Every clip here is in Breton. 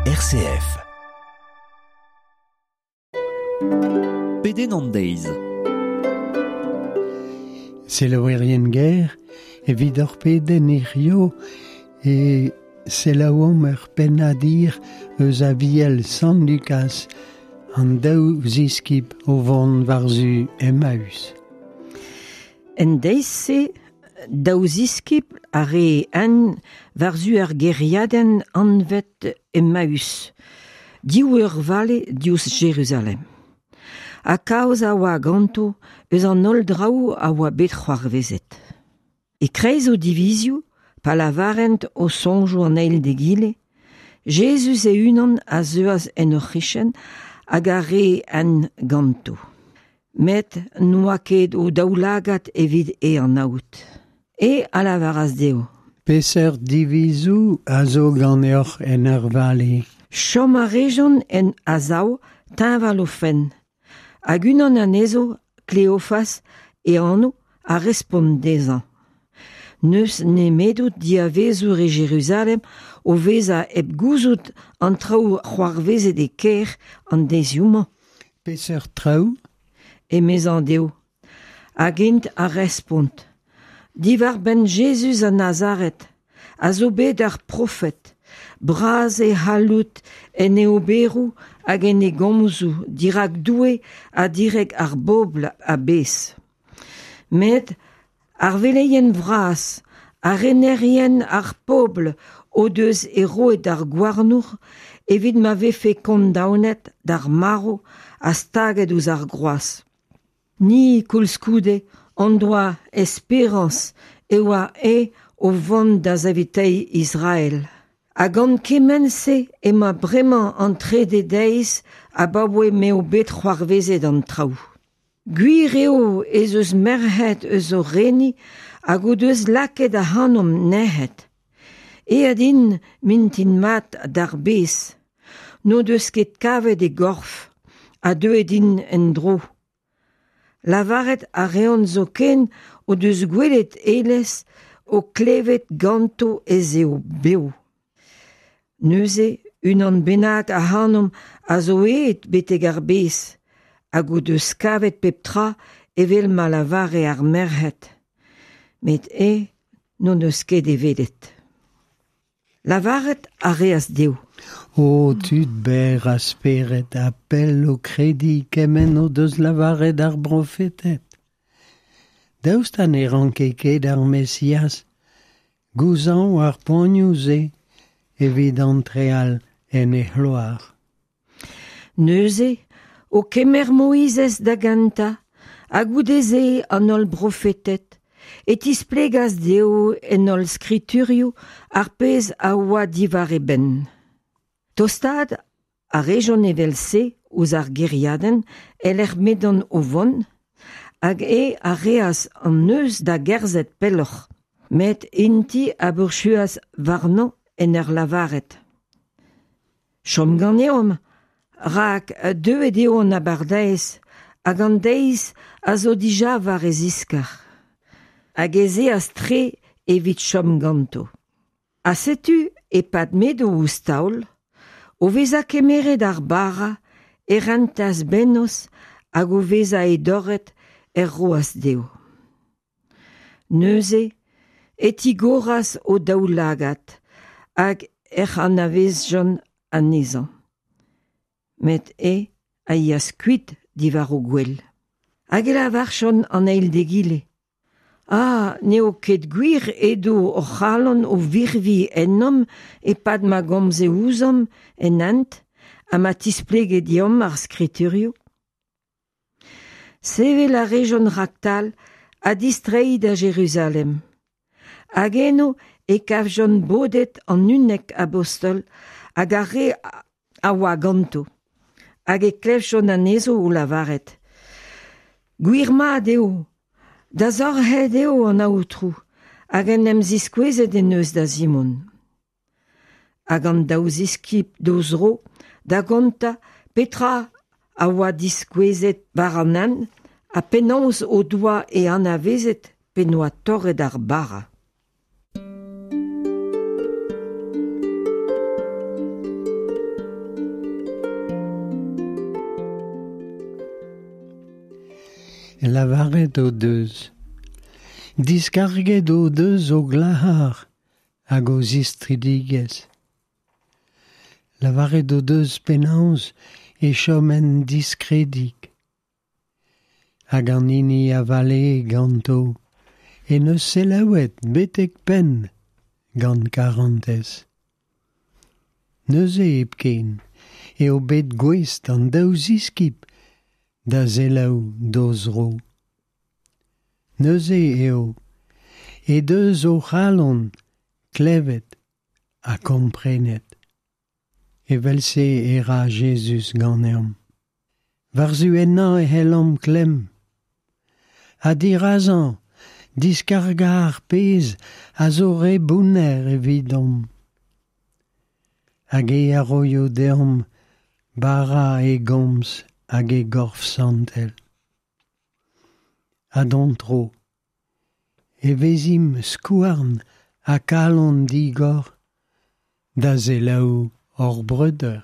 RCF. Pedenn an deiz. Selaouerien ger, evit ur pedenn hirio e selaouomp ur pennadir eus Aviel Sant Lukaz, an daou ziskib o vont war-zu Emmaüs. En deiz-se, daou ziskibl a ree hent war-zu ar gêriadenn anvet Emmaüs, div eur vale diouzh Jeruzalem. Ha kaoz a oa ganto eus an holl draoù a oa bet c'hoarvezet. E-kreiz o divizioù, pa lavarent o soñjoù an eil d'egile, Jezuz e-unan a zeuas en o c'hichen hag a ree hent ganto. Met n'oa ket o daoulagad evit e anaout. E a lavaras dezho. Peseurt divizoù a zo ganeoc'h en ur vale? Chom a rejont en a-sav, teñval o fenn. Hag unan anezho, Kleofas e anv, a respont dezhañ. N'eus nemedout diavezour e Jeruzalem o vezañ hep gouzout an traoù c'hoarvezet e kêr an deizioù-mañ. Peseurt traoù? Emezañ dezho. Hag int a respont. Diwar-benn Jezuz a Nazaret, a zo bet ar profed, bras e c'halloud en e oberoù hag en e gomzoù dirak Doue ha dirak ar bobl a-bezh. Met ar veleien vras, ar renerien ar pobl o deus e roet d'ar gouarnour evit ma vefe kondaonet d'ar marv ha staget ouzh ar groaz. Ni, koulskoude, hon doa esperañs e oa eñ o vont da saveteiñ Israel. Ha gant kement-se emañ bremañ an trede deiz abaoe m'eo bet c'hoarvezet an traoù. Gwir eo ez eus merc'hed eus o reni hag o deus lakaet ac'hanomp nec'het. Aet int mintin mat d'ar bez. N'o deus ket kavet e gorf ha deuet int en-dro. Lavaret a reont zoken o deus gwelet Elez o klevet ganto ez eo bev. Neuze unan bennak ac'hanomp a zo aet betek ar bez hag o deus kavet pep tra evel ma lavare ar merc'hed. Met eñ n'o deus ket e welet. Lavaret a reas dezho. O tud berr a spered ha pell o krediñ kement o deus lavaret ar brofeted. Daoust ha ne ranke ket ar Mesiaz gouzañv ar poanioù-se evit antreal en e c'hloar? Neuze, o kemer Moizez da gentañ, ha goude-se an holl brofeted, e tisplegas dezho en holl skriturioù ar pezh a oa diwar e benn. Tostaat a rejont evel-se ouzh ar gêriadenn e-lec'h m'edont o vont, hag eñ a reas an neuz da gerzhet pelloc'h. Met int-i a bourchuas warnañ en ur lavaret: Chom ganeomp, rak deuet eo an abardaez hag an deiz a zo dija war e ziskar. Hag ez eas tre evit chom ganto. Ha setu, e-pad m'edo ouzh taol, o vezañ kemeret ar bara, e rentas bennozh hag o vezañ e dorret er roas dezho. Neuze e tigoras o daoulagad hag ec'h anavezjont anezhañ. Met eñ a yeas kuit diwar o gwel. Hag e lavarjont an eil d'egile: Ah, n'eo ket gwir edo hor c'halon o virviñ ennomp e-pad ma gomze ouzhomp en hent ha ma tisplege deomp ar skriturioù? Sevel a rejont raktal ha distreiñ da Jeruzalem. Hag eno e kavjont bodet an unnek abostol hag ar re a oa ganto. Hag e klevjont anezho o lavaret: Gwir-mat eo, Dasorc'het eo an Aotrou hag en em ziskouezet en deus da Simon. Hag an daou ziskibl d'o zro da gontañ petra a oa diskouezet war an hent ha penaos o doa e anavezet p'en doa torret ar bara. Lavaret o deus. Diskarget o deus o glac'har hag o zistridigezh. Lavaret o deus penaos e choment diskredik. Hag an hini a valee ganto e neus selaouet betek penn gant karantez. Neuze hepken eo bet gouest an daou ziskib da selaou d'o zro. Neuze eo e deus o c'halon klevet ha komprenet. Evel-se e ra Jezuz ganeomp. War-zu ennañ e c'hellomp klemm. Ha dirazañ, diskargañ ar pezh a zo re bounner evidomp. Hag e a roio deomp bara e gomz hag e gorf santel. Ha d'hon tro, e vezimp skouarn ha kalon digor da selaou hor breudeur.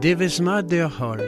Devezh mat deoc'h holl.